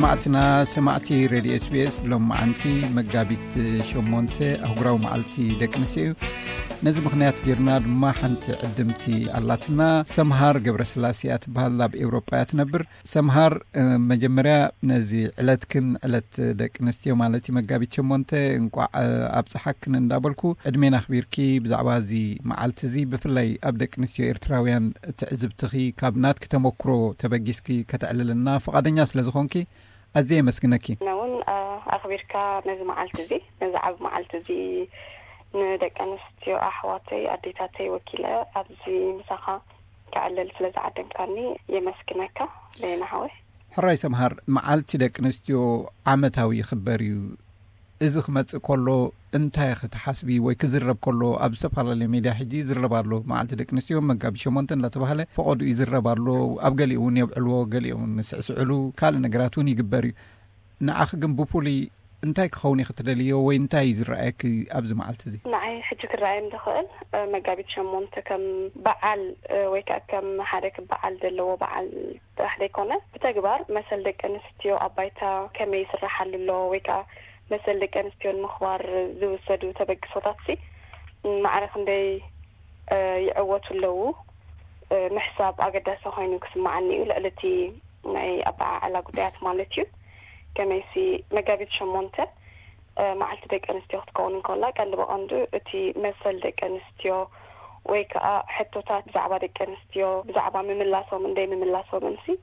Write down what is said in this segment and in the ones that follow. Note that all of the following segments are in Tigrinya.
ማዕትና ሰማዕቲ ሬድዮ ኤስቢኤስ፣ ሎም መዓንቲ መጋቢት ሸሞንተ ኣህጉራዊ መዓልቲ ደቂ ኣንስትዮ እዩ። ነዚ ምኽንያት ጌርና ድማ ሓንቲ ዕድምቲ ኣላትና። ሰምሃር ገብረስላሴ እያ ትበሃል፣ ኣብ ኤውሮጳ እያ ትነብር። ሰምሃር፣ መጀመርያ ነዚ ዕለትክን፣ ዕለት ደቂ ኣንስትዮ ማለት እዩ፣ መጋቢት ሸሞንተ፣ እንቋዕ ኣብጽሓክን እንዳበልኩ፣ ዕድሜና ኣኽቢርኪ ብዛዕባ እዚ መዓልቲ እዚ፣ ብፍላይ ኣብ ደቂ ኣንስትዮ ኤርትራውያን ትዕዝብትኺ ካብ ናትኪ ተመክሮ ተበጊስኪ ከተዕልልና ፍቓደኛ ስለ ዝኾንኪ ኣዝየ የመስግነኪ። ንውን ኣኽቢርካ ነዚ መዓልቲ እዚ፣ ነዚ ዓብ መዓልቲ እዚ፣ ንደቂ ኣንስትዮ ኣሕዋተይ ኣዴታተይ ወኪለ ኣብዚ ምሳኻ ክዕልል ስለ ዝዓደምካኒ የመስግነካ። ለየና ሓወይ። ሕራይ ሰምሃር፣ መዓልቲ ደቂ ኣንስትዮ ዓመታዊ ይኽበር እዩ። እዚ ክመጽእ ከሎ እንታይ ክትሓስቢ ወይ ክዝረብ ከሎ፣ ኣብ ዝተፈላለየ ሜድያ ሕጂ ይዝረብ ኣሎ። መዓልቲ ደቂ ኣንስትዮ መጋቢት ሸሞንተ እንዳተባህለ ፈቐዱ ይዝረብ ኣሎ። ኣብ ገሊኡ እውን የብዕልዎ፣ ገሊኡ እውን ስዕስዕሉ፣ ካልእ ነገራት እውን ይግበር እዩ። ንዓኺ ግን ብፍሉይ እንታይ ክኸውን እዩ ክትደልዮ ወይ እንታይ እዩ ዝረኣየኪ ኣብዚ መዓልቲ እዚ? ንዓይ ሕጂ ክረኣየኒ ዝኽእል፣ መጋቢት ሸሞንተ ከም በዓል፣ ወይ ከዓ ከም ሓደ ክበዓል ዘለዎ በዓል ጥራሕ ዘይኮነ፣ ብተግባር መሰል ደቂ ኣንስትዮ ኣብ ባይታ ከመይ ይስራሓሉ ኣሎ፣ ወይ ከዓ መሰል ደቂ ኣንስትዮ ንምኽባር ዝውሰዱ ተበግሶታት ሲ ማዕረ ክንደይ ይዕወቱ ኣለዉ ምሕሳብ ኣገዳሲ ኮይኑ ክስምዓኒ እዩ፣ ልዕሊ እቲ ናይ ኣበዓዕላ ጉዳያት ማለት እዩ። ከመይሲ መጋቢት ሸሞንተ መዓልቲ ደቂ ኣንስትዮ ክትከውን እንከላ፣ ቀንዲ ብቐንዱ እቲ መሰል ደቂ ኣንስትዮ ወይ ከዓ ሕቶታት ብዛዕባ ደቂ ኣንስትዮ፣ ብዛዕባ ምምላሶምን ደይ ምምላሶምን ሲ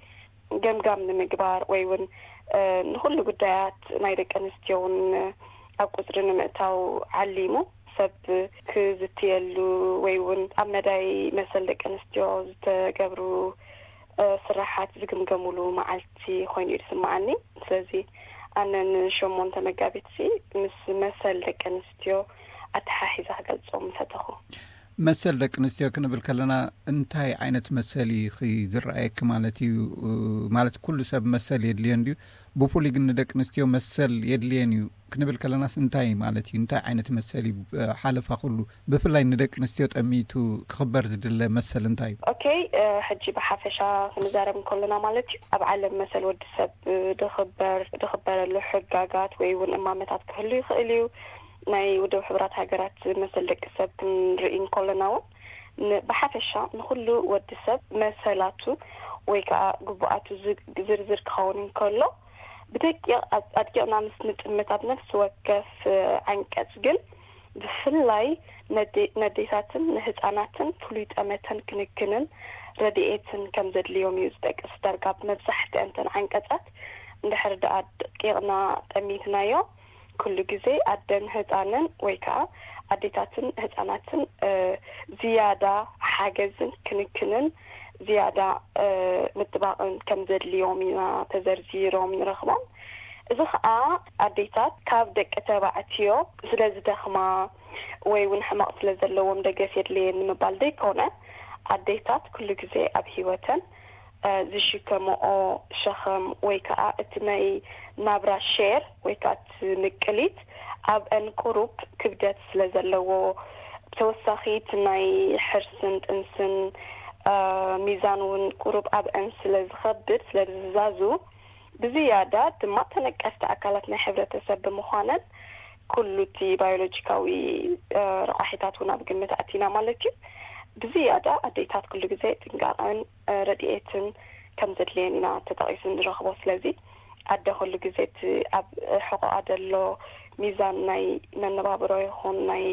ገምጋም ንምግባር ወይ እውን ንኩሉ ጉዳያት ናይ ደቂ ኣንስትዮ እውን ኣብ ቁፅሪ ንምእታው ዓሊሙ ሰብ ክዝትየሉ ወይ እውን ኣብ መዳይ መሰል ደቂ ኣንስትዮ ዝተገብሩ ስራሓት ዝግምገሙሉ መዓልቲ ኮይኑ እዩ ዝስምዓኒ። ስለዚ ኣነ ንሸሞንተ መጋቢት ሲ ምስ መሰል ደቂ ኣንስትዮ ኣተሓሒዘ ክገልጾ ምፈተኹ። መሰል ደቂ ኣንስትዮ ክንብል ከለና እንታይ ዓይነት መሰል እዩ ዝረኣየኪ ማለት እዩ? ማለት ኩሉ ሰብ መሰል የድልዮ እንድዩ፣ ብፍሉይ ግን ንደቂ ኣንስትዮ መሰል የድልየን እዩ ክንብል ከለናስ እንታይ ማለት እዩ? እንታይ ዓይነት መሰል እዩ? ሓለፋ ኩሉ ብፍላይ ንደቂ ኣንስትዮ ጠሚቱ ክኽበር ዝድለ መሰል እንታይ እዩ? ኦኬ፣ ሕጂ ብሓፈሻ ክንዛረብ እንከለና ማለት እዩ፣ ኣብ ዓለም መሰል ወዲ ሰብ ድኽበር ድኽበረሉ ሕጋጋት ወይ እውን እማመታት ክህሉ ይኽእል እዩ። ናይ ውድብ ሕቡራት ሃገራት መሰል ደቂ ሰብ ክንርኢ እንከለና እውን ብሓፈሻ ንኩሉ ወዲ ሰብ መሰላቱ ወይ ከዓ ግቡኣቱ ዝርዝር ክኸውን እንከሎ፣ ብደቂቕ ኣድቂቕና ምስ ንጥምት ኣብ ነፍሲ ወከፍ ዓንቀጽ ግን ብፍላይ ነዴታትን ንህፃናትን ፍሉይ ጠመተን ክንክንን ረድኤትን ከም ዘድልዮም እዩ ዝጠቅስ። ዳርጋ መብዛሕትአን እተን ዓንቀጻት እንድሕር ደኣ ደቂቕና ጠሚትናዮ፣ ኩሉ ግዜ ኣደን ህፃንን ወይ ከዓ ኣዴታትን ህፃናትን ዝያዳ ሓገዝን ክንክንን ዝያዳ ምጥባቕን ከም ዘድልዮም ኢና ተዘርዚሮም ንረኽቦም። እዚ ከዓ ኣዴታት ካብ ደቂ ተባዕትዮ ስለ ዝደኽማ ወይ እውን ሕመቕ ስለ ዘለዎም ደገፍ የድልየን ንምባል ዘይኮነ፣ ኣዴታት ኩሉ ግዜ ኣብ ህይወተን ዝሽከምኦ ሸኸም ወይ ከዓ እቲ ናይ ናብራ ሼር ወይ ከዓ እቲ ምቅሊት ኣብአን ቁሩብ ክብደት ስለ ዘለዎ፣ ተወሳኺ እቲ ናይ ሕርስን ጥንስን ሚዛን እውን ቁሩብ ኣብአን ስለ ዝኸብድ፣ ስለ ዝዛዙ፣ ብዝያዳ ድማ ተነቀፍቲ ኣካላት ናይ ሕብረተሰብ ብምዃነን ኩሉ እቲ ባዮሎጂካዊ ረቋሒታት እውን ኣብ ግምት ኣቲና ማለት እዩ። ብዝያዳ ኣዴታት ኩሉ ግዜ ጥንቃቐን ረድኤትን ከም ዘድልየን ኢና ተጠቒሱ ንረኽቦ። ስለዚ ኣደ ኩሉ ግዜ እቲ ኣብ ሕቆኣ ዘሎ ሚዛን ናይ መነባብሮ ይኹን ናይ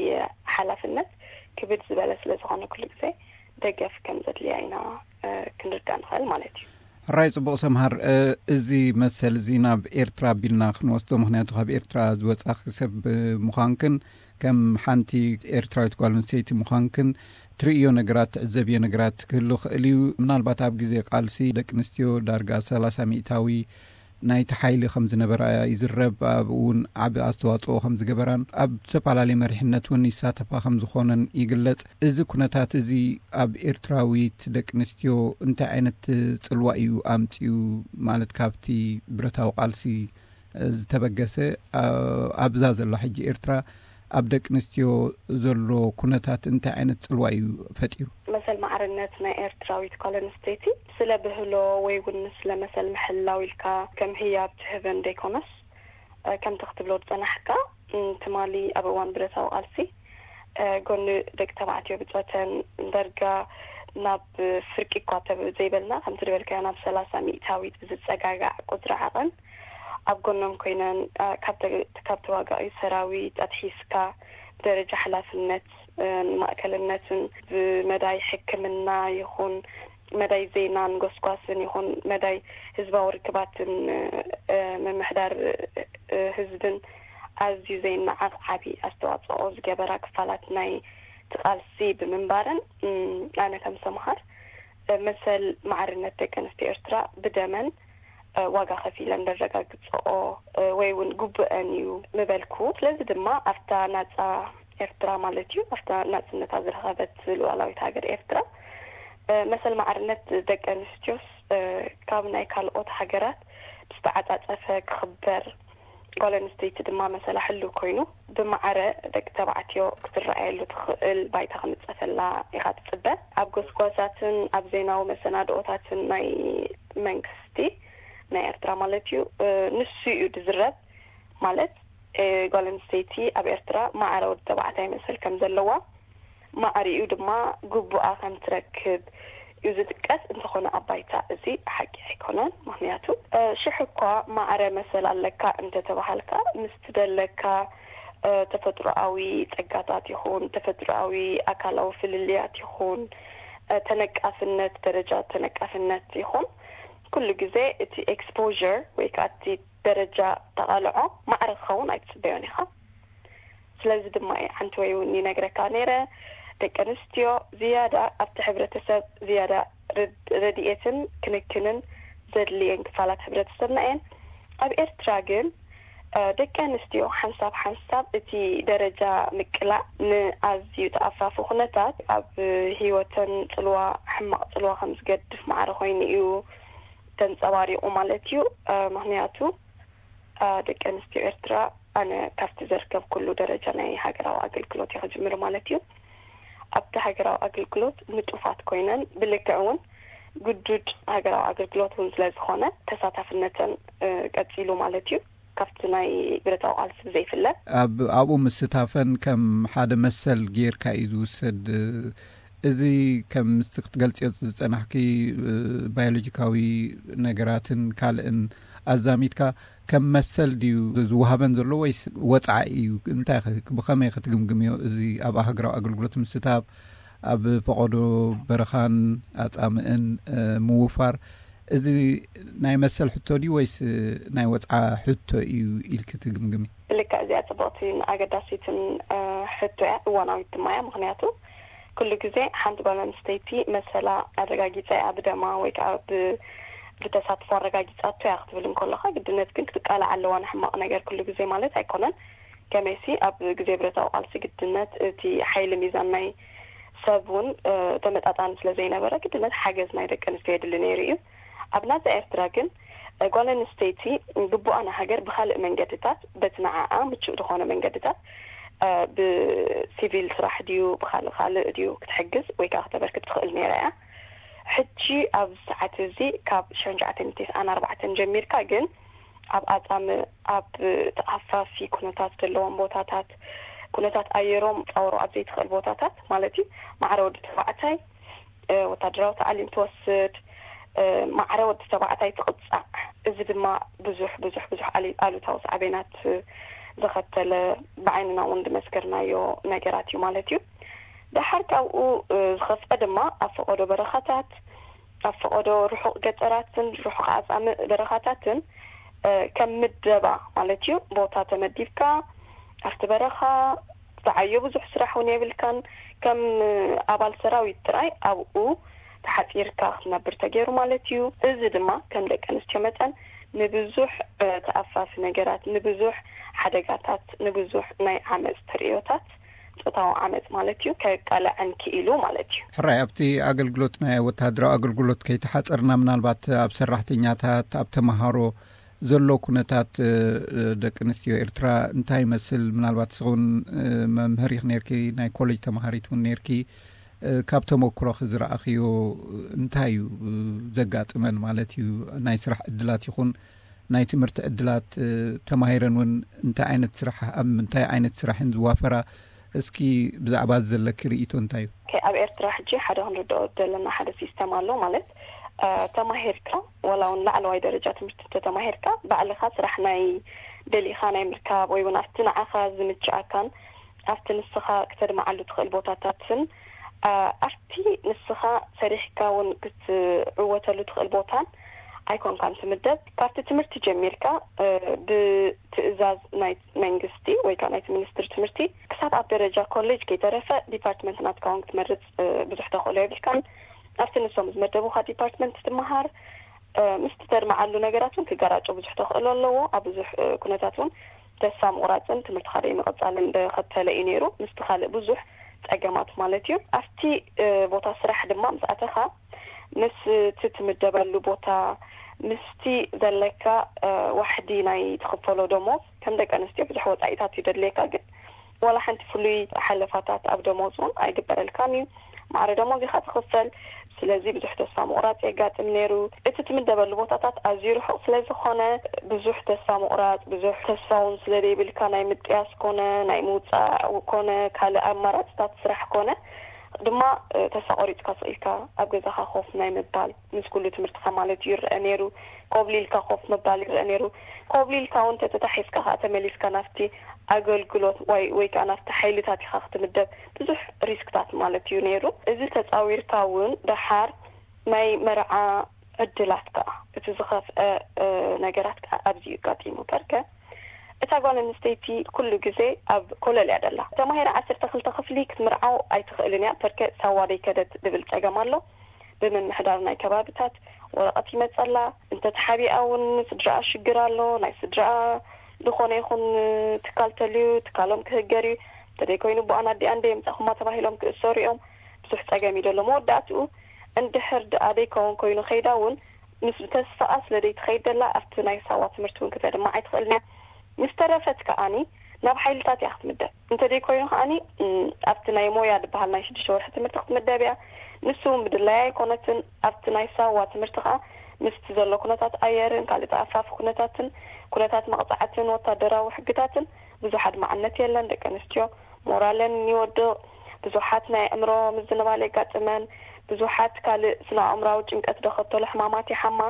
ሓላፍነት ክብድ ዝበለ ስለ ዝኾነ ኩሉ ግዜ ደገፍ ከም ዘድልያ ኢና ክንርዳእ ንኽእል ማለት እዩ። ሕራይ ጽቡቕ ሰምሃር፣ እዚ መሰል እዚ ናብ ኤርትራ ኣቢልና ክንወስዶ፣ ምኽንያቱ ካብ ኤርትራ ዝወጻኺ ሰብ ምዃንክን ከም ሓንቲ ኤርትራዊት ጓል ኣንስተይቲ ምዃንክን ትርእዮ ነገራት፣ ትዕዘብዮ ነገራት ክህሉ ክእል እዩ። ምናልባት ኣብ ግዜ ቃልሲ ደቂ ኣንስትዮ ዳርጋ ሰላሳ ሚእታዊ ናይቲ ሓይሊ ከም ዝነበራ ይዝረብ። ኣብኡ እውን ዓቢ ኣስተዋጽኦ ከም ዝገበራን ኣብ ዝተፈላለዩ መሪሕነት እውን ይሳተፋ ከም ዝኾነን ይግለጽ። እዚ ኩነታት እዚ ኣብ ኤርትራዊት ደቂ ኣንስትዮ እንታይ ዓይነት ጽልዋ እዩ ኣምጺኡ? ማለት ካብቲ ብረታዊ ቃልሲ ዝተበገሰ ኣብዛ ዘላ ሕጂ ኤርትራ ኣብ ደቂ ኣንስትዮ ዘሎ ኩነታት እንታይ ዓይነት ጽልዋ እዩ ፈጢሩ? መሰል ማዕርነት ናይ ኤርትራዊት ጓል ኣንስተይቲ ስለ ብህሎ ወይ እውን ስለ መሰል ምሕላው ኢልካ ከም ህያብ ትህበን ዘይኮነስ፣ ከምቲ ክትብሎ ዝጸናሕካ፣ ትማሊ ኣብ እዋን ብረታዊ ቃልሲ ጎኒ ደቂ ተባዕትዮ ብጾተን ደርጋ ናብ ፍርቂ እኳ ዘይበልና፣ ከምቲ ዝበልካዮ ናብ ሰላሳ ሚእታዊት ብዝጸጋጋዕ ቁጽሪ ዓቐን ኣብ ጎኖም ኮይነን፣ ካብ ተዋጋኢ ሰራዊት ኣትሒዝካ ብደረጃ ሓላፍነት፣ ንማእከልነትን ብመዳይ ሕክምና ይኹን መዳይ ዜናን ጎስጓስን ይኹን መዳይ ህዝባዊ ርክባትን ምምሕዳር ህዝብን ኣዝዩ ዘይነዓቕ ዓቢ ኣስተዋጽኦ ዝገበራ ክፋላት ናይ ትቃልሲ ብምንባረን፣ ኣነ ከም ሰምሃር መሰል ማዕርነት ደቂ ኣንስትዮ ኤርትራ ብደመን ዋጋ ከፊለን ዘረጋግጽኦ ወይ እውን ግቡአን እዩ ምበልኩ። ስለዚ ድማ ኣብታ ናጻ ኤርትራ ማለት እዩ፣ ኣብታ ናጽነታ ዝረኸበት ሉዓላዊት ሃገር ኤርትራ፣ መሰል ማዕርነት ደቂ ኣንስትዮስ ካብ ናይ ካልኦት ሃገራት ብዝተዓጻጸፈ ክኽበር፣ ጓል ኣንስተይቲ ድማ መሰላ ሕሉው ኮይኑ ብማዕረ ደቂ ተባዕትዮ ክትረኣየሉ ትኽእል ባይታ ክንጸፈላ ኢኻ ትጽበ። ኣብ ጎስጓሳትን ኣብ ዜናዊ መሰናድኦታትን ናይ መንግስቲ ናይ ኤርትራ ማለት እዩ፣ ንሱ እዩ ዝዝረብ። ማለት ጓል ኣንስተይቲ ኣብ ኤርትራ ማዕረ ወዲ ተባዕታይ መሰል ከም ዘለዋ፣ ማዕሪኡ ድማ ግቡኣ ከም ትረክብ እዩ ዝጥቀስ። እንተኾነ ኣብ ባይታ እዚ ሓቂ ኣይኮነን። ምኽንያቱ ሽሕ እኳ ማዕረ መሰል ኣለካ እንተተባሃልካ፣ ምስ ትደለካ ተፈጥሮኣዊ ጸጋታት ይኹን ተፈጥሮኣዊ ኣካላዊ ፍልልያት ይኹን ተነቃፍነት፣ ደረጃ ተነቃፍነት ይኹን ኩሉ ግዜ እቲ exposure ወይ ከዓ እቲ ደረጃ ተቓልዖ ማዕረ ክኸውን ኣይትጽበዮን ኢኻ። ስለዚ ድማ እየ ሓንቲ ወይ እውን ይነግረካ ነይረ፣ ደቂ ኣንስትዮ ዝያዳ ኣብቲ ሕብረተሰብ ዝያዳ ረድኤትን ክንክንን ዘድልየን ክፋላት ሕብረተሰብና እየን። ኣብ ኤርትራ ግን ደቂ ኣንስትዮ ሓንሳብ ሓንሳብ እቲ ደረጃ ምቅላዕ ንኣዝዩ ተኣፋፊ ኩነታት ኣብ ህይወተን ጽልዋ፣ ሕማቕ ጽልዋ ከም ዝገድፍ ማዕረ ኮይኑ እዩ ተንጸባሪቑ ማለት እዩ። ምኽንያቱ ደቂ ኣንስትዮ ኤርትራ ኣነ ካብቲ ዘርከብ ኩሉ ደረጃ ናይ ሃገራዊ ኣገልግሎት ይኽጅምር ማለት እዩ። ኣብቲ ሃገራዊ ኣገልግሎት ንጡፋት ኮይነን ብልክዕ እውን ግዱድ ሃገራዊ ኣገልግሎት እውን ስለ ዝኾነ ተሳታፍነተን ቀጺሉ ማለት እዩ። ካብቲ ናይ ብረታዊ ቃልሲ ብዘይፍለ ኣብ ኣብኡ ምስታፈን ከም ሓደ መሰል ጌርካ እዩ ዝውሰድ። እዚ ከም ምስቲ ክትገልጽዮ ዝጸናሕኪ ባዮሎጂካዊ ነገራትን ካልእን ኣዛሚድካ ከም መሰል ድዩ ዝወሃበን ዘሎ ወይስ ወጻኢ እዩ? እንታይ ብኸመይ ክትግምግምዮ? እዚ ኣብ ሃገራዊ ኣገልግሎት ምስታፍ፣ ኣብ ፈቐዶ በረኻን ኣጻምእን ምውፋር፣ እዚ ናይ መሰል ሕቶ ድዩ ወይስ ናይ ወጽዓ ሕቶ እዩ ኢልኪ ትግምግሚ? ብልክዕ እዚኣ ጽቡቕትን ኣገዳሲትን ሕቶ እያ፣ እዋናዊት ድማ እያ። ምኽንያቱ ኩሉ ግዜ ሓንቲ ጓል ኣንስተይቲ መሰላ ኣረጋጊጻ እያ ብደማ ወይ ከዓ ብተሳትፎ ኣረጋጊጻቶ እያ ክትብል እንከለኻ፣ ግድነት ግን ክትቃላዕ ኣለዋ ንሕማቕ ነገር ኩሉ ግዜ ማለት ኣይኮነን። ከመይሲ ኣብ ግዜ ብረታዊ ቃልሲ ግድነት እቲ ሓይሊ ሚዛን ናይ ሰብ እውን ተመጣጣኒ ስለ ዘይነበረ፣ ግድነት ሓገዝ ናይ ደቂ ኣንስትዮ የድሊ ነይሩ እዩ። ኣብ ናጻ ኤርትራ ግን ጓል ኣንስተይቲ ግቡኣ ንሃገር ብኻልእ መንገድታት፣ በቲ ንዓኣ ምቹእ ዝኾነ መንገድታት፣ ብሲቪል ስራሕ ድዩ ብኻልእ ካልእ ድዩ ክትሕግዝ ወይ ከዓ ክተበርክት ትኽእል ነይራ እያ። ሕጂ ኣብ ሰዓት እዚ ካብ ሽሕን ትሽዓተ ሚእትን ኣርባዕተን ጀሚርካ ግን ኣብ ኣጻምእ፣ ኣብ ተኣፋፊ ኩነታት ዘለዎም ቦታታት፣ ኩነታት ኣየሮም ጻወሮ ኣብ ዘይትኽእል ቦታታት ማለት እዩ፣ ማዕረ ወዲ ተባዕታይ ወታደራዊ ተዓሊም ትወስድ፣ ማዕረ ወዲ ተባዕታይ ትቕጻዕ። እዚ ድማ ብዙሕ ብዙሕ ብዙሕ ኣሉታዊ ሳዕቤናት ዘኸተለ ብዓይንና እውን ዝመስከርናዮ ነገራት እዩ ማለት እዩ። ደሓር ካብኡ ዝኸፍአ ድማ ኣብ ፈቐዶ በረኻታት፣ ኣብ ፈቐዶ ርሑቕ ገጠራትን ርሑቕ ኣጻምእ በረኻታትን ከም ምደባ ማለት እዩ፣ ቦታ ተመዲብካ ኣብቲ በረኻ ዝዓዮ ብዙሕ ስራሕ እውን የብልካን። ከም ኣባል ሰራዊት ጥራይ ኣብኡ ተሓጺርካ ክትነብር ተገይሩ ማለት እዩ። እዚ ድማ ከም ደቂ ኣንስትዮ መጠን ንብዙሕ ተኣፋፊ ነገራት፣ ንብዙሕ ሓደጋታት፣ ንብዙሕ ናይ ዓመጽ ተርእዮታት፣ ጾታዊ ዓመጽ ማለት እዩ፣ ከቃልዐን ክኢሉ ማለት እዩ። ሕራይ ኣብቲ ኣገልግሎት ናይ ወተሃደራዊ ኣገልግሎት ከይተሓጸርና ምናልባት ኣብ ሰራሕተኛታት፣ ኣብ ተመሃሮ ዘሎ ኩነታት ደቂ ኣንስትዮ ኤርትራ እንታይ ይመስል? ምናልባት ንስኺ እውን መምህር ኢኺ ነርኪ፣ ናይ ኮሌጅ ተማሃሪት እውን ነርኪ። ካብ ተመክሮኺ ዝረኣኽዮ እንታይ እዩ ዘጋጥመን ማለት እዩ? ናይ ስራሕ ዕድላት ይኹን ናይ ትምህርቲ ዕድላት፣ ተማሂረን እውን እንታይ ዓይነት ስራሕ፣ ኣብ ምንታይ ዓይነት ስራሕ እየን ዝዋፈራ? እስኪ ብዛዕባ እዚ ዘለኪ ርእይቶ እንታይ እዩ? ኦኬ፣ ኣብ ኤርትራ ሕጂ ሓደ ክንርድኦ ዘለና ሓደ ሲስተም ኣሎ። ማለት ተማሂርካ፣ ዋላ እውን ላዕለዋይ ደረጃ ትምህርቲ እንተተማሂርካ፣ ባዕልኻ ስራሕ ናይ ደሊኻ ናይ ምርካብ ወይ እውን ኣብቲ ንዓኻ ዝምችኣካን ኣብቲ ንስኻ ክተድምዓሉ ትኽእል ቦታታትን ኣብቲ ንስኻ ሰሪሕካ እውን ክትዕወተሉ ትኽእል ቦታን ኣይኮንካን ትምደብ። ካብቲ ትምህርቲ ጀሚርካ ብትእዛዝ ናይ መንግስቲ ወይ ከዓ ናይቲ ሚኒስትሪ ትምህርቲ ክሳብ ኣብ ደረጃ ኮሌጅ ከይተረፈ ዲፓርትመንት ናትካ እውን ክትመርፅ ብዙሕ ተኽእሎ የብልካን። ኣብቲ ንሶም ዝመደቡኻ ዲፓርትመንት ትመሃር። ምስቲ ተድምዓሉ ነገራት እውን ክገራጮ ብዙሕ ተኽእሎ ኣለዎ። ኣብ ብዙሕ ኩነታት እውን ተስፋ ምቑራፅን ትምህርትኻ ደይ ምቕፃልን ዘኸተለ እዩ ነይሩ። ምስቲ ካልእ ብዙሕ ፀገማት ማለት እዩ። ኣብቲ ቦታ ስራሕ ድማ ምስ ኣተኻ፣ ምስ እቲ ትምደበሉ ቦታ፣ ምስቲ ዘለካ ዋሕዲ ናይ ትኽፈሎ ደሞዝ፣ ከም ደቂ ኣንስትዮ ብዙሕ ወፃኢታት እዩ ደድልየካ። ግን ዋላ ሓንቲ ፍሉይ ሓለፋታት ኣብ ደሞዝ እውን ኣይግበረልካን እዩ። ማዕረ ደሞዝ ኢኻ ትኽፈል። ስለዚ ብዙሕ ተስፋ ምቑራፅ የጋጥም ነይሩ። እቲ ትምደበሉ ቦታታት ኣዝዩ ርሑቕ ስለ ዝኾነ፣ ብዙሕ ተስፋ ምቑራፅ፣ ብዙሕ ተስፋ እውን ስለ ዘይብልካ፣ ናይ ምጥያስ ኮነ ናይ ምውፃእ ኮነ ካልእ ኣማራፅታት ስራሕ ኮነ ድማ ተስፋ ቆሪፅካ ስቕ ኢልካ ኣብ ገዛኻ ኮፍ ናይ ምባል፣ ምስ ኩሉ ትምህርትኻ ማለት እዩ፣ ይረአ ነይሩ። ኮብሊልካ ኮፍ ምባል ይረአ ነይሩ። ኮብሊልካ እውን ተተታሒዝካ ከዓ ተመሊስካ ናብቲ ኣገልግሎት ወይ ወይ ከዓ ናብቲ ሓይልታት ኢኻ ክትምደብ፣ ብዙሕ ሪስክታት ማለት እዩ ነይሩ። እዚ ተፃዊርካ እውን ደሓር ናይ መርዓ ዕድላት ከዓ፣ እቲ ዝኸፍአ ነገራት ከዓ ኣብዚ እዩ ኣጋጢሙ። ፐርከ እታ ጓል ኣንስተይቲ ኩሉ ግዜ ኣብ ኮለል እያ ደላ። ተማሂራ ዓሰርተ ክልተ ክፍሊ ክትምርዓው ኣይትኽእልን እያ። ፐርከ ሳዋ ደይከደት ዝብል ፀገም ኣሎ። ብምምሕዳር ናይ ከባብታት ወረቐት ይመፀላ። እንተተሓቢኣ እውን ስድራኣ ሽግር ኣሎ። ናይ ስድራኣ ዝኾነ ይኹን ትካል ተልዩ ትካሎም ክህገር እዩ። እንተደይኮይኑ ብኣን ኣዲኣን ደየምፃኹማ ተባሂሎም ክእሰሩ እዮም። ብዙሕ ፀገም እዩ ዘሎ። መወዳእትኡ እንድሕር ደኣ ደይከውን ኮይኑ ከይዳ እውን ምስ ተስፋኣ ስለ ደይትኸይድ ደላ ኣብቲ ናይ ሳዋ ትምህርቲ እውን ክተድማ ኣይትኽእልን እያ። ምስ ተረፈት ከኣኒ ናብ ሓይልታት እያ ክትምደብ። እንተደይኮይኑ ከኣኒ ኣብቲ ናይ ሞያ ዝበሃል ናይ ሽዱሽተ ወርሒ ትምህርቲ ክትምደብ እያ። ንሱ እውን ብድላያ ኣይኮነትን። ኣብቲ ናይ ሳዋ ትምህርቲ ከኣ ምስቲ ዘሎ ኩነታት ኣየርን ካልእ ተኣፋፊ ኩነታትን፣ ኩነታት መቕጻዕትን ወታደራዊ ሕግታትን ብዙሕ ኣድማዕነት የለን። ደቂ ኣንስትዮ ሞራለን ይወድቕ። ብዙሓት ናይ ኣእምሮ ምዝንባል የጋጥመን። ብዙሓት ካልእ ስነ ኣእምራዊ ጭንቀት ዘኸተሎ ሕማማት ይሓማ።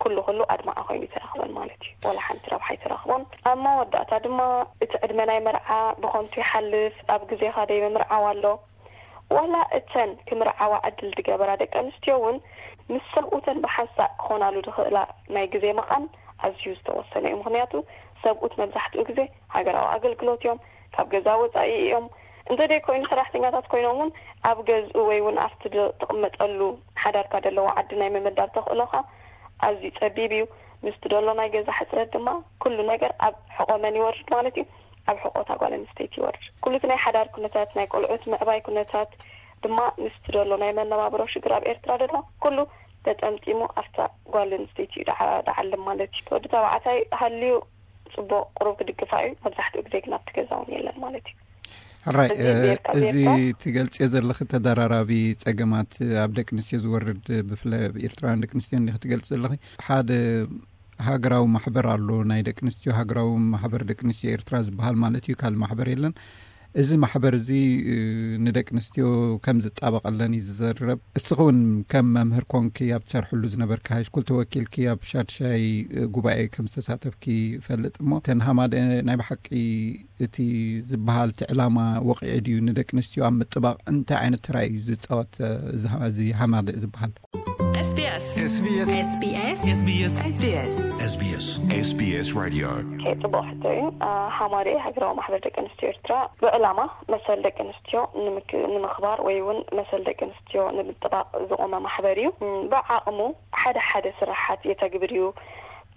ኩሉ ኩሉ ኣድማዒ ኮይኑ ይተረኽበን ማለት እዩ። ዋላ ሓንቲ ረብሓ ይተረኽቦን። ኣብ መወዳእታ ድማ እቲ ዕድመ ናይ መርዓ ብኸንቱ ይሓልፍ። ኣብ ግዜኻ ደይ ምምርዓው ኣሎ። ዋላ እተን ክምርዓዋ ዕድል ዝገበራ ደቂ ኣንስትዮ እውን ምስ ሰብኡተን ብሓንሳእ ክኾናሉ ዝኽእላ ናይ ግዜ መቓን ኣዝዩ ዝተወሰነ እዩ። ምኽንያቱ ሰብኡት መብዛሕትኡ ግዜ ሃገራዊ ኣገልግሎት እዮም፣ ካብ ገዛ ወፃኢ እዮም። እንተደይ ኮይኑ ሰራሕተኛታት ኮይኖም እውን ኣብ ገዝኡ ወይ እውን ኣብቲ ድ- ትቕመጠሉ ሓዳርካ ዘለዎ ዓዲ ናይ ምምዳብ ተኽእሎኻ ኣዝዩ ጸቢብ እዩ። ምስቲ ዘሎ ናይ ገዛ ሕጽረት ድማ ኩሉ ነገር ኣብ ሕቖ መን ይወርድ ማለት እዩ? ኣብ ሕቖ እታ ጓል ኣንስተይቲ ይወርድ። ኩሉ እቲ ናይ ሓዳር ኩነታት፣ ናይ ቆልዑት ምዕባይ ኩነታት ድማ ምስቲ ዘሎ ናይ መነባብሮ ሽግር ኣብ ኤርትራ ዘሎ ኩሉ ተጠምጢሙ ኣብታ ጓል ኣንስተይቲ እዩ ደዓ- ደዓልም ማለት እዩ። ወዲ ተባዕታይ ሃልዩ ጽቡቕ ቁሩብ ክድግፋ እዩ። መብዛሕትኡ ግዜ ግን ኣብቲ ገዛ እውን የለን ማለት እዩ። ሕራይ፣ እዚ እ፣ ጌርካ እዚ ጌርካ ትገልጽዮ ዘለኺ ተደራራቢ ጸገማት ኣብ ደቂ ኣንስትዮ ዝወርድ፣ ብፍላይ ኣብ ኤርትራውያን ደቂ ኣንስትዮ እንዲኺ ትገልጽ ዘለኺ። ሓደ ሃገራዊ ማሕበር ኣሎ፣ ናይ ደቂ ኣንስትዮ ሃገራዊ ማሕበር ደቂ ኣንስትዮ ኤርትራ ዝበሃል ማለት እዩ። ካልእ ማሕበር የለን። እዚ ማሕበር እዚ፣ እ፣ ንደቂ ኣንስትዮ ከም ዝጣበቐለን እዩ ዝዘረብ። እስኺ እውን ከም መምህር ኮንኪ ኣብ ትሰርሕሉ ዝነበርኪ ሃይስኩል ተወኪልኪ ኣብ ሻድሻይ፣ እ፣ ጉባኤ ከም ዝተሳተፍኪ ይፈልጥ። እሞ እተን ሃማደ ናይ ብሓቂ እቲ ዝበሃል እቲ ዕላማ ወቂዑ ድዩ? ንደቂ ኣንስትዮ ኣብ ምጥባቕ እንታይ ዓይነት ተራ እዩ ዝፃወት፣ እ፣ እዚ ሃ- እዚ ሃማደ ዝበሃል? SBS SBS SBS SBS SBS SBS SBS Radio። ኦኬ፣ ጽቡቕ ሕቶ እዩ። አ፣ ሃማደ ሃገራዊ ማሕበር ደቂ ኣንስትዮ ኤርትራ ብዕላማ መሰል ደቂ ኣንስትዮ ንምክ- ንምኽባር ወይ እውን መሰል ደቂ ኣንስትዮ ንምጥባቕ ዝቖመ ማሕበር እዩ። እም፣ ብዓቕሙ ሓደ ሓደ ስራሓት የተግብር እዩ።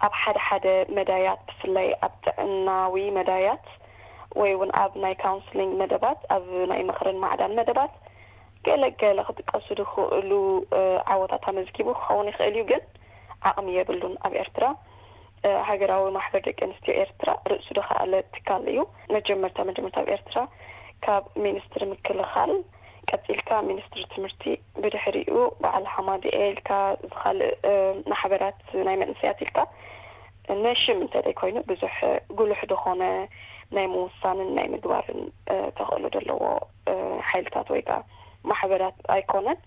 ኣብ ሓደ ሓደ መዳያት፣ ብፍላይ ኣብ ጥዕናዊ መዳያት ወይ እውን ኣብ ናይ ካውንስሊንግ መደባት፣ ኣብ ናይ ምኽርን ማዕዳን መደባት ገለ ገለ ክጥቀሱ ዝኽእሉ፣ እ፣ ዓወታት ኣመዝጊቡ ክኸውን ይኽእል እዩ፣ ግን ዓቕሚ የብሉን ኣብ ኤርትራ። ሃገራዊ ማሕበር ደቂ ኣንስትዮ ኤርትራ ርእሱ ዝኸኣለ ትካል እዩ። መጀመርታ መጀመርታ ኣብ ኤርትራ ካብ ሚኒስትሪ ምክልኻል ቀጺልካ ሚኒስትሪ ትምህርቲ፣ ብድሕሪኡ በዓል ሓማዲኤ ኢልካ፣ ዝኻልእ ማሕበራት ናይ መንእሰያት ኢልካ፣ ነሽም እንተ ደይ ኮይኑ ብዙሕ ጉሉሕ ዝኾነ ናይ ምውሳንን ናይ ምግባርን ተኽእሎ ዘለዎ ሓይልታት ወይ ከዓ ማሕበራት ኣይኮነን።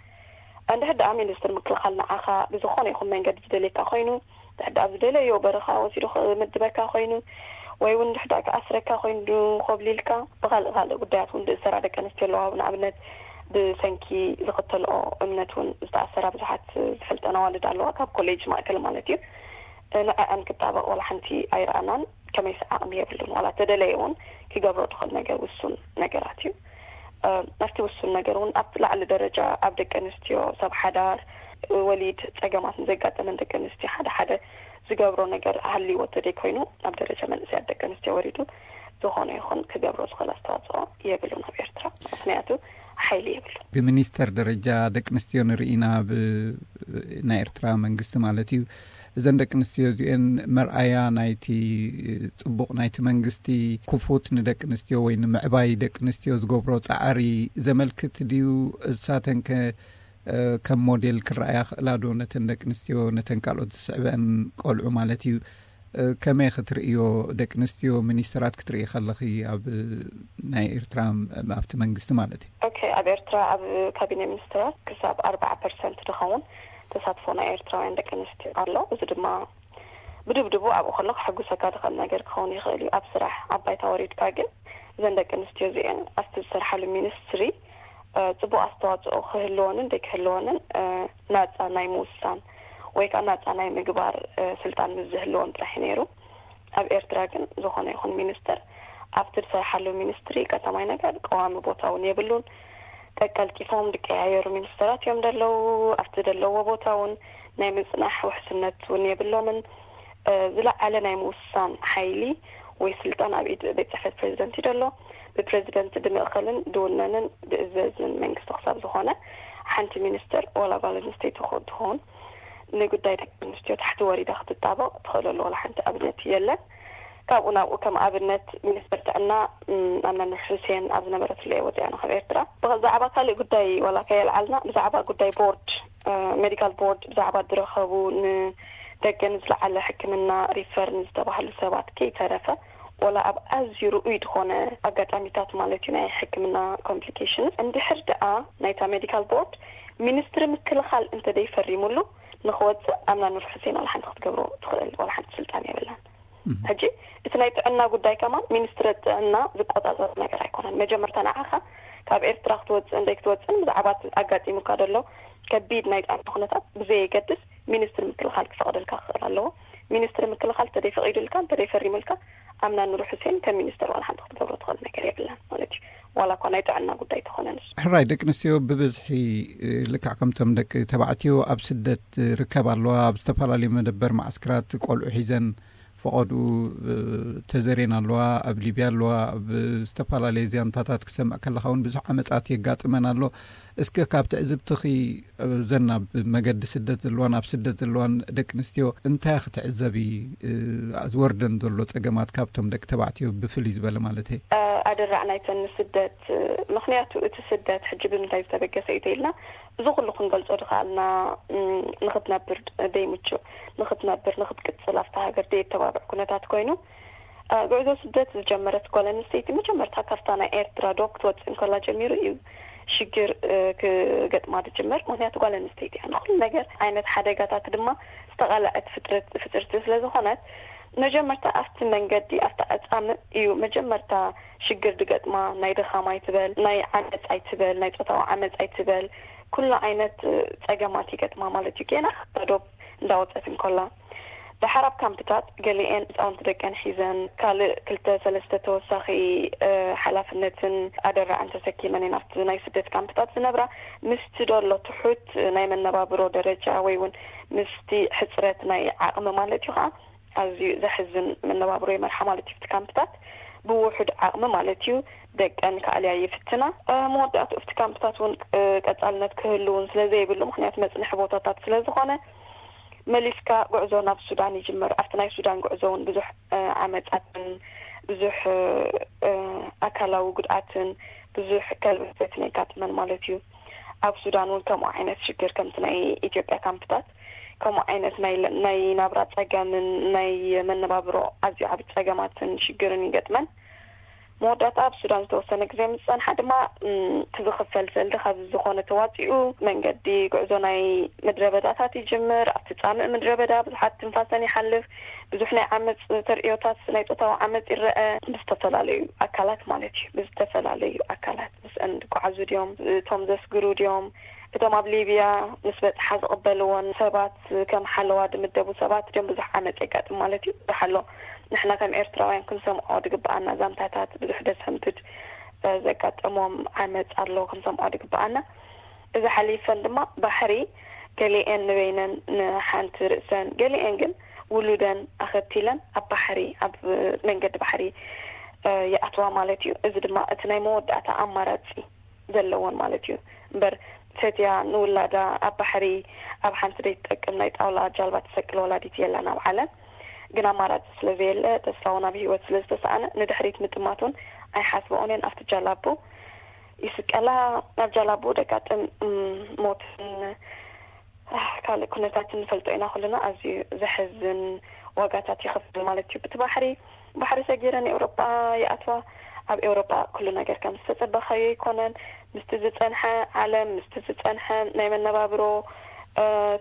እንድሕር ደኣ ሚኒስትሪ ምክልኻል ንዓኻ ብዝኾነ ይኹን መንገዲ ዝደልየካ ኮይኑ፣ እንድሕር ደኣ ኣብ ዝደለዮ በረኻ ወሲዱ ክምድበካ ኮይኑ፣ ወይ እውን እንድሕር ደኣ ክኣስረካ ኮይኑ፣ ኮብሊልካ ብኻልእ ካልእ ጉዳያት እውን ዝእሰራ ደቂ ኣንስትዮ ኣለዋ። ንኣብነት ብሰንኪ ዝኽተልኦ እምነት እውን ዝተኣሰራ ብዙሓት ዝፈልጠን ኣዋልድ ኣለዋ፣ ካብ ኮሌጅ ማእከል ማለት እዩ። ንዐኣን ክጣበቕ ዋላ ሓንቲ ኣይረኣናን። ከመይስ ዓቕሚ የብሉን። ዋላ ተደለየ እውን ክገብሮ ትኽእል ነገር ውሱን ነገራት እዩ። ኣብቲ ውሱን ነገር እውን ኣብቲ ላዕሊ ደረጃ ኣብ ደቂ ኣንስትዮ ሰብ ሓዳር፣ ወሊድ፣ ጸገማት ንዘጋጠመን ደቂ ኣንስትዮ ሓደ ሓደ ዝገብሮ ነገር ሃልይዎ ተደይ ኮይኑ፣ ኣብ ደረጃ መንእሰያት ደቂ ኣንስትዮ ወሪዱ ዝኾነ ይኹን ክገብሮ ዝኽእል ኣስተዋጽኦ የብሉን ኣብ ኤርትራ። ምኽንያቱ ሓይሊ የብሉን። ብሚኒስተር ደረጃ ደቂ ኣንስትዮ ንርኢና፣ ብ ናይ ኤርትራ መንግስቲ ማለት እዩ። እዘን ደቂ ኣንስትዮ እዚኤን መርኣያ ናይቲ ጽቡቕ ናይቲ መንግስቲ፣ ክፉት ንደቂ ኣንስትዮ ወይ ንምዕባይ ደቂ ኣንስትዮ ዝገብሮ ጻዕሪ ዘመልክት ድዩ? እሳተንከ ከም ሞዴል ክረኣያ ክእላ ዶ? ነተን ደቂ ኣንስትዮ፣ ነተን ካልኦት ዝስዕበን ቆልዑ ማለት እዩ። ከመይ ክትርእዮ? ደቂ ኣንስትዮ ሚኒስትራት ክትርኢ ከለኺ፣ ኣብ ናይ ኤርትራ፣ ኣብቲ መንግስቲ ማለት እዩ። ኦኬ፣ ኣብ ኤርትራ ኣብ ካቢነ ሚኒስትራት ክሳብ ኣርባዓ ፐርሰንት ዝኸውን ተሳትፎ ናይ ኤርትራውያን ደቂ ኣንስትዮ ኣሎ። እዚ ድማ ብድብድቡ ኣብኡ ከሎ ክሕጉሰካ ዝኽእል ነገር ክኸውን ይኽእል እዩ። ኣብ ስራሕ ኣብ ባይታ ወሪድካ ግን እዘን ደቂ ኣንስትዮ እዚአን ኣብቲ ዝሰርሓሉ ሚኒስትሪ ጽቡቕ ኣስተዋጽኦ ክህልወንን ደይክህልወንን ናጻ ናይ ምውሳን ወይ ከዓ ናጻ ናይ ምግባር ስልጣን ምስ ዝህልወን ጥራሕ እዩ ነይሩ። ኣብ ኤርትራ ግን ዝኾነ ይኹን ሚኒስተር ኣብቲ ዝሰርሓሉ ሚኒስትሪ ቀዳማይ ነገር ቀዋሚ ቦታ እውን የብሉን። ቀልጢፎም ዝቀያየሩ ሚኒስተራት እዮም ዘለዉ። ኣብቲ ዘለዎ ቦታ እውን ናይ ምጽናሕ ውሕስነት እውን የብሎምን። ዝለዓለ ናይ ምውሳን ሓይሊ ወይ ስልጣን ኣብ ኢድ ቤት ጽሕፈት ፕሬዚደንት እዩ ዘሎ። ብፕሬዚደንት ድምእኸልን ድውነንን ድእዘዝን መንግስቲ ክሳብ ዝኾነ፣ ሓንቲ ሚኒስተር ዋላ ጓል ኣንስተይቲ ትኸውን ንጉዳይ ደቂ ኣንስትዮ ታሕቲ ወሪዳ ክትጣበቕ ትኽእለሉ ዋላ ሓንቲ ኣብነት የለን። ካብኡ ናብኡ ከም ኣብነት ሚኒስተር ጥዕና ኣምና ኑር ሑሴን ኣብ ዝነበረትሉ እየ ወፂኣና ካብ ኤርትራ። ብዛዕባ ካልእ ጉዳይ ዋላ ከየልዓልና ብዛዕባ ጉዳይ ቦርድ ሜዲካል ቦርድ ብዛዕባ ዝረኸቡ ንደገ ንዝለዓለ ሕክምና ሪፈር ንዝተባህሉ ሰባት ከይተረፈ ዋላ ኣብ ኣዝዩ ርኡይ ዝኾነ ኣጋጣሚታት ማለት እዩ ናይ ሕክምና ኮምፕሊኬሽንስ እንድሕር ደኣ ናይታ ሜዲካል ቦርድ ሚኒስትሪ ምክልኻል እንተደይፈሪሙሉ ንክወፅእ ኣምና ኑር ሑሴን ዋላ ሓንቲ ክትገብሮ ትኽእል ዋላ ሓንቲ ስልጣን የብላን። ሕጂ እቲ ናይ ጥዕና ጉዳይ ከማን ሚኒስትሪ ጥዕና ዝቆፃፀር ነገር ኣይኮነን። መጀመርታ ንዓኻ ካብ ኤርትራ ክትወፅእ እንደይ ክትወፅእን ብዛዕባ ኣጋጢሙካ ዘሎ ከቢድ ናይ ጥዕና ኩነታት ብዘየገድስ ሚኒስትሪ ምክልኻል ክፈቕደልካ ክኽእል ኣለዎ። ሚኒስትሪ ምክልኻል እንተደይ ፈቒዱልካ እንተደይ ፈሪሙልካ ኣምና ኑር ሑሴን ከም ሚኒስትር ዋላ ሓንቲ ክትገብሮ ትኽእል ነገር የብላን ማለት እዩ። ዋላ እኳ ናይ ጥዕና ጉዳይ ተኾነ ንሱ። ሕራይ ደቂ ኣንስትዮ ብብዝሒ ልክዕ ከምቶም ደቂ ተባዕትዮ ኣብ ስደት ርከብ ኣለዋ። ኣብ ዝተፈላለዩ መደበር ማዕስክራት ቆልዑ ሒዘን ፈቐዱ ተዘሬን ኣለዋ። ኣብ ሊብያ ኣለዋ። ኣብ ዝተፈላለዩ ዚያንታታት ክሰምዕ ከለኻ እውን ብዙሕ ዓመጻት የጋጥመን ኣሎ። እስከ ካብ ትዕዝብትኺ ዘን ኣብ መገዲ ስደት ዘለዋን ኣብ ስደት ዘለዋን ደቂ ኣንስትዮ እንታይ ክትዕዘቢ? ዝወርደን ዘሎ ጸገማት ካብቶም ደቂ ተባዕትዮ ብፍልይ ዝበለ ማለት እየ። ኣደራዕ ናይተን ንስደት ምክንያቱ እቲ ስደት ሕጂ ብምንታይ ዝተበገሰ እዩ ተኢልና እዚ ኩሉ ክንገልጾ ድኸኣልና ንክትነብር ደይምቹ ንክትነብር ንክትቅጽል ኣብታ ሃገር ደየተባብዕ ኩነታት ኮይኑ ጉዕዞ ስደት ዝጀመረት ጓል ኣንስተይቲ መጀመርታ ካብታ ናይ ኤርትራ ዶ ክትወፅእ እንከላ ጀሚሩ እዩ ሽግር ክገጥማ ዝጅመር። ምክንያቱ ጓል ኣንስተይቲ እያ ንኩሉ ነገር ዓይነት ሓደጋታት ድማ ዝተቓለዐት ፍጥርቲ ስለዝኾነት መጀመርታ ኣብቲ መንገዲ ኣብቲ ኣጻምእ እዩ መጀመርታ ሽግር ዝገጥማ። ናይ ድኻም ኣይትበል፣ ናይ ዓመፅ ኣይትበል፣ ናይ ፆታዊ ዓመፅ ኣይትበል፣ ኩሉ ዓይነት ፀገማት ይገጥማ ማለት እዩ። ጌና ካብታ ዶብ እንዳወፀት እንከላ ደሓር ኣብ ካምፕታት ገሊኤን ህፃውንቲ ደቀን ሒዘን ካልእ ክልተ ሰለስተ ተወሳኺ ሓላፍነትን ኣደራዕን ተሰኪመን እየን ኣብቲ ናይ ስደት ካምፕታት ዝነብራ። ምስቲ ደሎ ትሑት ናይ መነባብሮ ደረጃ ወይ እውን ምስቲ ሕፅረት ናይ ዓቕሚ ማለት እዩ ከዓ ኣዝዩ ዘሕዝን መነባብሮ ይመርሓ ማለት እዩ። እቲ ካምፕታት ብውሑድ ዓቕሚ ማለት እዩ ደቀን ክኣልያ ይፍትና። መወዳእቱ እቲ ካምፕታት እውን ቀፃልነት ክህሉ እውን ስለዘይብሉ ምክንያቱ መፅንሒ ቦታታት ስለዝኾነ መሊስካ ጉዕዞ ናብ ሱዳን ይጅምር። ኣብቲ ናይ ሱዳን ጉዕዞ እውን ብዙሕ ዓመጻትን ብዙሕ ኣካላዊ ጉድኣትን ብዙሕ ከልበትን የጋጥመን ማለት እዩ። ኣብ ሱዳን እውን ከምኡ ዓይነት ሽግር ከምቲ ናይ ኢትዮጵያ ካምፕታት ከምኡ ዓይነት ናይ ናብራ ጸገምን ናይ መነባብሮ ኣዝዩ ዓቢ ጸገማትን ሽግርን ይገጥመን። መወዳእታ ኣብ ሱዳን ዝተወሰነ ግዜ ምስ ጸንሓ ድማ እቲ ዝኽፈል ሰልዲ ካብ ዝኾነ ተዋጺኡ መንገዲ ጉዕዞ ናይ ምድረ በዳታት ይጅምር። ኣብቲ ጻምእ ምድረ በዳ ብዙሓት ትንፋሰን ይሓልፍ። ብዙሕ ናይ ዓመጽ ተርእዮታት ናይ ጾታዊ ዓመጽ ይረአ ብዝተፈላለዩ ኣካላት ማለት እዩ። ብዝተፈላለዩ ኣካላት ምስአን ዝጓዓዙ ድዮም፣ እቶም ዘስግሩ ድዮም፣ እቶም ኣብ ሊብያ ምስ በጽሓ ዝቕበልዎን ሰባት ከም ሓለዋ ዝምደቡ ሰባት ድዮም ብዙሕ ዓመጽ የጋጥም ማለት እዩ። ዝሓሎ ንሕና ከም ኤርትራውያን ክንሰምዖ ዝግብኣና ዛንታታት ብዙሕ ደስ ሕምትድ ዘጋጠሞም ዓመጽ ኣሎ ክንሰምዖ ዝግብኣና። እዚ ሓሊፈን ድማ ባሕሪ ገሊኤን ንበይነን ንሓንቲ ርእሰን ገሊኤን ግን ውሉደን ኣኸቲለን ኣብ ባሕሪ ኣብ መንገዲ ባሕሪ ይኣትዋ ማለት እዩ። እዚ ድማ እቲ ናይ መወዳእታ ኣማራጺ ዘለዎን ማለት እዩ። እምበር ፈትያ ንውላዳ ኣብ ባሕሪ ኣብ ሓንቲ ዘይትጠቅም ናይ ጣውላ ጃልባ ትሰቅል ወላዲት የላን ኣብ ዓለም። ግን ኣማራጺ ስለ ዘየለ ተስፋ እውን ኣብ ህይወት ስለ ዝተሰኣነ ንድሕሪት ምጥማት እውን ኣይሓስበኦን እየን። ኣብቲ ጃላቡ ይስቀላ፣ ኣብ ጃላቡ ደጋጥም ሞትን ካልእ ኩነታት ንፈልጦ ኢና ኩልና። ኣዝዩ ዘሕዝን ዋጋታት ይኸፍል ማለት እዩ። ብቲ ባሕሪ ባሕሪ ሰጊረን ኤውሮጳ ይኣትዋ። ኣብ ኤውሮጳ ኩሉ ነገር ከም ዝተጸበኻዮ ኣይኮነን። ምስቲ ዝጸንሐ ዓለም ምስቲ ዝጸንሐ ናይ መነባብሮ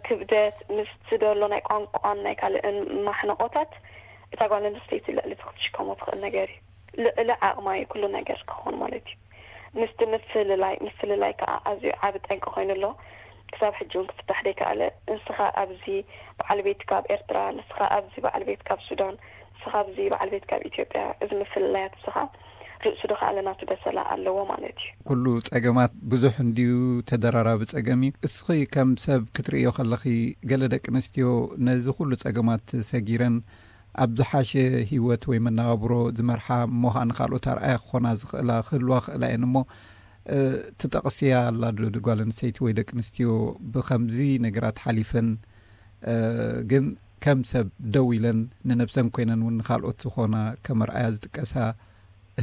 ክብደት ምስቲ ዘሎ ናይ ቋንቋን ናይ ካልእን ማሕነቆታት እታ ጓል ኣንስተይቲ ልዕሊ እቲ ክትሽከሞ ትኽእል ነገር እዩ። ልዕሊ ዓቕማ እዩ ኩሉ ነገር ክኸውን ማለት እዩ። ምስቲ ምፍልላይ ምፍልላይ ከዓ ኣዝዩ ዓቢ ጠንቂ ኮይኑ ኣሎ። ክሳብ ሕጂ እውን ክፍታሕ ደይከኣለ። ንስኻ ኣብዚ በዓል ቤትካ ኣብ ኤርትራ፣ ንስኻ ኣብዚ በዓል ቤትካ ኣብ ሱዳን፣ ንስኻ ኣብዚ በዓል ቤትካ ኣብ ኢትዮጵያ፣ እዚ ምፍልላያት እዚ ከዓ ርእሱ ድኸኣለ ናቱ በሰላ ኣለዎ ማለት እዩ። ኩሉ ጸገማት ብዙሕ እንድዩ፣ ተደራራቢ ጸገም እዩ። እስኺ ከም ሰብ ክትርእዮ ከለኺ፣ ገለ ደቂ ኣንስትዮ ነዚ ኩሉ ጸገማት ሰጊረን ኣብ ዝሓሸ ህይወት ወይ መነባብሮ ዝመርሓ እሞ ኸኣ ንኻልኦት ኣርኣያ ክኾና ዝኽእላ ክህልዋ ክእላ እየን እሞ ትጠቕስያ ኣላ ዶ ጓል ኣንስተይቲ ወይ ደቂ ኣንስትዮ ብኸምዚ ነገራት ሓሊፈን ግን ከም ሰብ ደው ኢለን ንነብሰን ኮይነን እውን ንኻልኦት ዝኾና ከም ኣርኣያ ዝጥቀሳ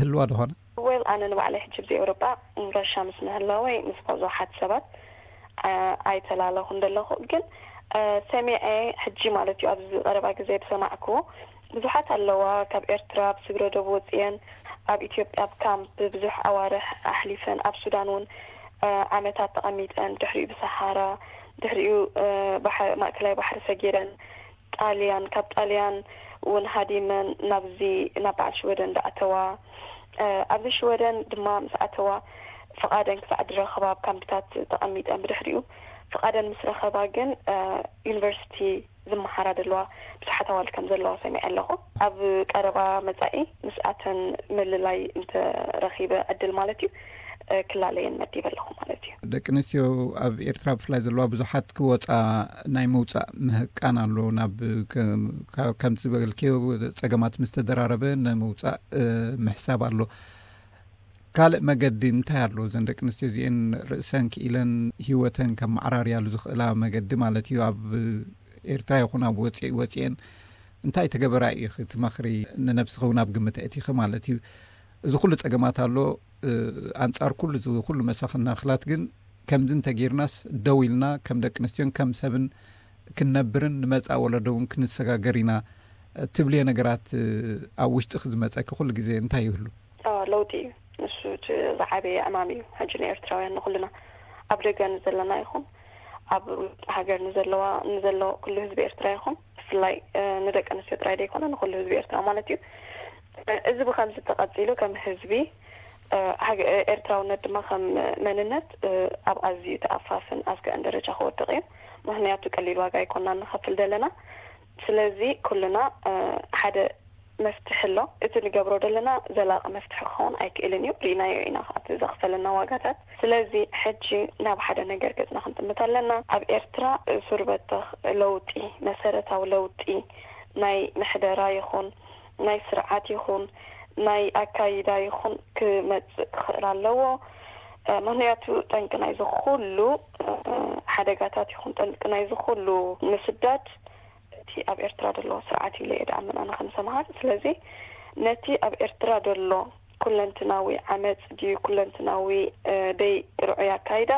ህልዋ ዶ ኾና? ወል ኣነ ንባዕለይ ሕጂ ብዚ ኤውሮጳ ረብሻ ምስ ምህላወይ ምስ ብዙሓት ሰባት ኣይተላለኹን ዘለኹ ግን ሰሚዐ ሕጂ ማለት እዩ ኣብዚ ቀረባ ግዜ ዝሰማዕክዎ ብዙሓት ኣለዋ ካብ ኤርትራ ብስግረ ዶብ ወፅየን ኣብ ኢትዮጵያ ኣብ ካምፕ ብዙሕ ኣዋርሕ ኣሕሊፈን ኣብ ሱዳን እውን ዓመታት ተቐሚጠን ድሕሪኡ ብሰሃራ ድሕሪኡ ማእከላይ ባሕሪ ሰጊረን ጣልያን ካብ ጣልያን እውን ሃዲመን ናብዚ ናብ በዓል ሽወደን ዝኣተዋ ኣብዚ ሽወደን ድማ ምስ ኣተዋ ፍቓደን ክሳዕ ዝረኸባ ኣብ ካምፕታት ተቐሚጠን ብድሕሪኡ ፍቓደን ምስ ረኸባ ግን ዩኒቨርሲቲ ዝመሃራ ዘለዋ ብዙሓት ኣዋልድ ከም ዘለዋ ሰሚዐ ኣለኹ። ኣብ ቀረባ መጻኢ ምስኣተን ምልላይ እንተረኺበ ዕድል ማለት እዩ ክላለየን መዲበ ኣለኹ ማለት እዩ። ደቂ ኣንስትዮ ኣብ ኤርትራ ብፍላይ ዘለዋ ብዙሓት ክወጻ ናይ ምውጻእ ምህቃን ኣሎ። ናብ ከምቲ ዝበልክዮ ጸገማት ምስ ተደራረበ ንምውጻእ ምሕሳብ ኣሎ። ካልእ መገዲ እንታይ ኣሎ? እዘን ደቂ ኣንስትዮ እዚኤን ርእሰን ክኢለን ህይወተን ከመዓራርያሉ ዝኽእላ መገዲ ማለት እዩ። ኣብ ኤርትራ ይኹን ኣብ ወፂ ወፂኤን እንታይ ተገበራ ኢኺ ትመኽሪ? ንነብስኺ እውን ኣብ ግምት ኣእቲኺ ማለት እዩ። እዚ ኩሉ ፀገማት ኣሎ። ኣንፃር ኩሉ እዚ ኩሉ መሳኽናኽላት ግን ከምዚ እንተጌርናስ ደው ኢልና ከም ደቂ ኣንስትዮን ከም ሰብን ክንነብርን ንመፃእ ወለዶ እውን ክንሰጋገር ኢና ትብልዮ ነገራት ኣብ ውሽጥኺ ዝመፀኪ ኩሉ ግዜ እንታይ ይህሉ? ለውጢ እዩ። ንሱ እቲ ዝዓበየ ዕማም እዩ። ሕጂ ንኤርትራውያን ንኹልና ኣብ ደገ ንዘለና ይኹን ኣብ ውሽጢ ሃገር ንዘለዋ ንዘሎ ኩሉ ህዝቢ ኤርትራ ይኹን ብፍላይ ንደቂ ኣንስትዮ ጥራይ ዘይኮነ ንኩሉ ህዝቢ ኤርትራ ማለት እዩ። እዚ ብከምዚ ተቐጺሉ ከም ህዝቢ ኤርትራውነት ድማ ከም መንነት ኣብ ኣዝዩ ተኣፋፍን ኣስጋእን ደረጃ ክወድቕ እዩ። ምክንያቱ ቀሊል ዋጋ ኣይኮና ንኸፍል ዘለና። ስለዚ ኩልና ሓደ መፍትሒ ኣሎ። እቲ ንገብሮ ዘለና ዘላቂ መፍትሒ ክኸውን ኣይክእልን እዩ። ርኢናዮ ኢና እቲ ዘኽፈለና ዋጋታት። ስለዚ ሕጂ ናብ ሓደ ነገር ገጽና ክንጥምት ኣለና። ኣብ ኤርትራ ሱር በተኽ ለውጢ፣ መሰረታዊ ለውጢ ናይ ምሕደራ ይኹን ናይ ስርዓት ይኹን ናይ ኣካይዳ ይኹን ክመጽእ ክኽእል ኣለዎ። ምክንያቱ ጠንቂ ናይዚ ኩሉ ሓደጋታት ይኹን ጠንቂ ናይዚ ኩሉ ምስዳድ እቲ ኣብ ኤርትራ ዘሎ ስርዓት ኢለ እየ ድኣምን ኣነ ከም ሰምሃር። ስለዚ ነቲ ኣብ ኤርትራ ዘሎ ኩለንትናዊ ዓመጽ ድዩ ኩለንትናዊ ደይ ርዑይ ኣካይዳ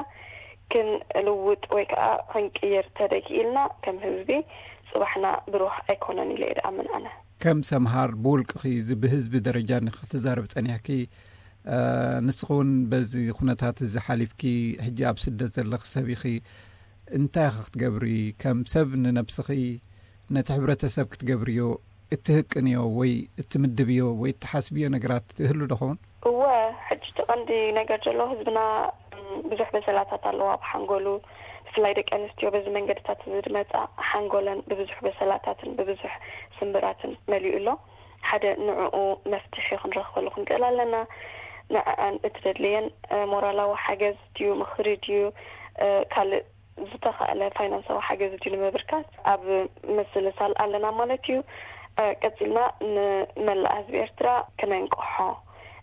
ክንልውጥ ወይ ከዓ ክንቅይር ተደኪኢልና ከም ህዝቢ ጽባሕና ብሩህ ኣይኮነን ኢለ እየ ድኣምን ኣነ። ከም ሰምሃር ብውልቅኺ እዚ ብህዝቢ ደረጃ ንክትዛረብ ጸኒሕኪ፣ ንስኺ እውን በዚ ኩነታት እዚ ሓሊፍኪ ሕጂ ኣብ ስደት ዘለኺ ሰብ ኢኺ። እንታይ ኢኺ ክትገብሪ? ከም ሰብ ንነብስኺ ነቲ ሕብረተሰብ ክትገብርዮ እትህቅንዮ ወይ እትምድብዮ ወይ እትሓስብዮ ነገራት ትህሉ ዶ ኸውን? እወ፣ ሕጂ እቲ ቀንዲ ነገር ዘሎ ህዝብና ብዙሕ በሰላታት ኣለዋ ብሓንጎሉ። ብፍላይ ደቂ ኣንስትዮ በዚ መንገድታት እዚ ዝመጻ ሓንጎለን ብብዙሕ በሰላታትን ብብዙሕ ስምብራትን መሊኡ ኣሎ። ሓደ ንዕኡ መፍትሒ ክንረኽበሉ ክንክእል ኣለና። ንዕኣን እቲ ደድልየን ሞራላዊ ሓገዝ ድዩ፣ ምኽሪ ድዩ፣ ካልእ ዝተኻእለ ፋይናንሳዊ ሓገዝ ድዩ ንምብርካት ኣብ ምስልሳል ኣለና ማለት እዩ። ቀጺልና ንመላእ ህዝቢ ኤርትራ ክነንቅሖ፣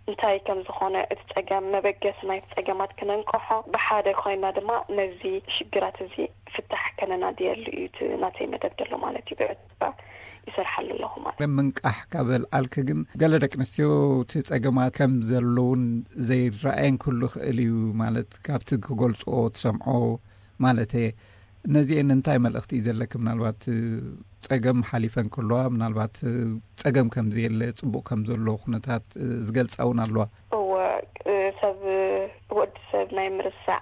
እንታይ ከም ዝኾነ እቲ ጸገም፣ መበገሲ ናይቲ ጸገማት ክነንቅሖ፣ ብሓደ ኮይና ድማ ነዚ ሽግራት እዚ ፍታሕ ከነናድየሉ እዩ እቲ ናተይ መደብ ዘሎ ማለት እዩ። ብዕቱባ ይሰርሓሉ ኣለኹ ማለት። ምንቃሕ ካብ ኣልዓልኪ ግን ገለ ደቂ ኣንስትዮ እቲ ጸገማት ከም ዘለውን ዘይረኣየን ክህሉ ይኽእል እዩ ማለት ካብቲ ክገልጽኦ ትሰምዖ ማለት እየ። ነዚአን እንታይ መልእኽቲ እዩ ዘለኪ? ምናልባት ጸገም ሓሊፈን ከለዋ ምናልባት ጸገም ከም ዘየለ ጽቡቕ ከም ዘሎ ኩነታት ዝገልጻ እውን ኣለዋ። እወ፣ ሰብ ወዲ ሰብ ናይ ምርሳዕ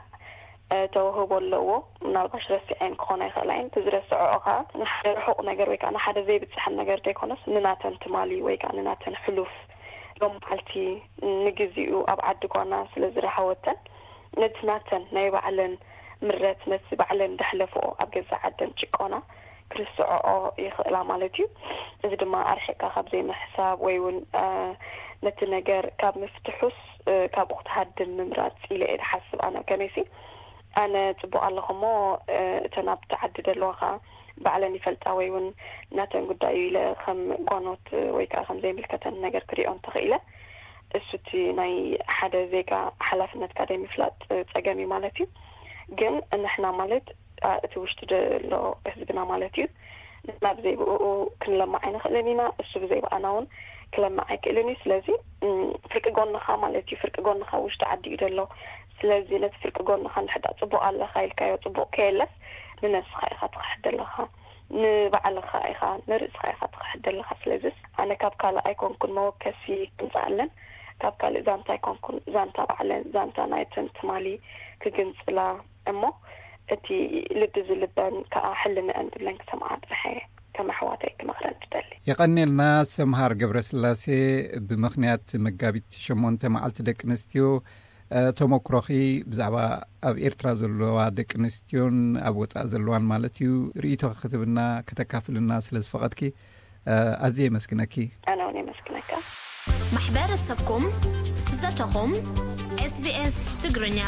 ተውህቦ ኣለዎ። ምናልባሽ ረሲዐን ክኾና ይኽእላ እየን። እቲ ዝረስዐኦ ከዓ ንሓደ ርሑቕ ነገር ወይ ከዓ ንሓደ ዘይብፅሐን ነገር ዘይኮነስ ንናተን ትማሊ ወይ ከዓ ንናተን ሕሉፍ ሎም መዓልቲ ንግዚኡ ኣብ ዓዲ ጓና ስለ ዝረሃወተን ነቲ ናተን ናይ ባዕለን ምረት ነቲ ባዕለን ደሕለፍኦ ኣብ ገዛ ዓደን ጭቆና ክርስዐኦ ይኽእላ ማለት እዩ። እዚ ድማ ኣርሒቕካ ካብ ዘይምሕሳብ ወይ እውን ነቲ ነገር ካብ ምፍትሑስ ካብኡ ክትሃድም ምምራፅ ኢለ እየ ዝሓስብ ኣነ ከመይሲ። ኣነ ፅቡቕ ኣለኹ እሞ እተን ኣብቲ ዓዲ ዘለዋ ከዓ ባዕለን ይፈልጣ ወይ እውን ናተን ጉዳዩ ኢለ ከም ጓኖት ወይ ከዓ ከም ዘይምልከተን ነገር ክሪኦ እንተኽኢለ እሱ እቲ ናይ ሓደ ዜጋ ሓላፍነትካ ደይ ምፍላጥ ፀገም እዩ ማለት እዩ። ግን ንሕና ማለት እቲ ውሽጢ ዘሎ ህዝብና ማለት እዩ ናብ ዘይብኡ ክንለማዕ ኣይንኽእልን ኢና። እሱ ብዘይብኣና እውን ክለማዕ ኣይክእልን እዩ። ስለዚ ፍርቂ ጎንኻ ማለት እዩ ፍርቂ ጎንኻ ውሽጢ ዓዲ እዩ ዘሎ። ስለዚ ነቲ ፍርቂ ጎንኻ እንድሕዳ ፅቡቕ ኣለኻ ኢልካዮ ፅቡቕ ከየለስ ንነስኻ ኢኻ ትኽሕድ ዘለኻ፣ ንባዕልኻ ኢኻ ንርእስኻ ኢኻ ትኽሕድ ዘለኻ። ስለዚስ ኣነ ካብ ካልእ ኣይኮንኩን መወከሲ ክምፅኣለን ካብ ካልእ ዛንታ ኣይኮንኩን ዛንታ ባዕለን ዛንታ ናይተን ትማሊ ክግንፅላ እሞ እቲ ልዲ ዝልበን ከዓ ሕልንአን ዝብለን ክሰምዓ ጥራሕ እየ ከም ኣሕዋተይ ክመኽረን ትደሊ። የቐኔልና ሰምሃር ገብረስላሴ። ብምኽንያት መጋቢት ሸሞንተ መዓልቲ ደቂ ኣንስትዮ ተመክሮኺ ብዛዕባ ኣብ ኤርትራ ዘለዋ ደቂ ኣንስትዮን ኣብ ወፃእ ዘለዋን ማለት እዩ ርእይቶ ክትብና ከተካፍልና ስለ ዝፈቐድኪ ኣዝየ የመስግነኪ። ኣነ እውን የመስግነካ። ማሕበረሰብኩም ዘተኹም ኤስቢኤስ ትግርኛ።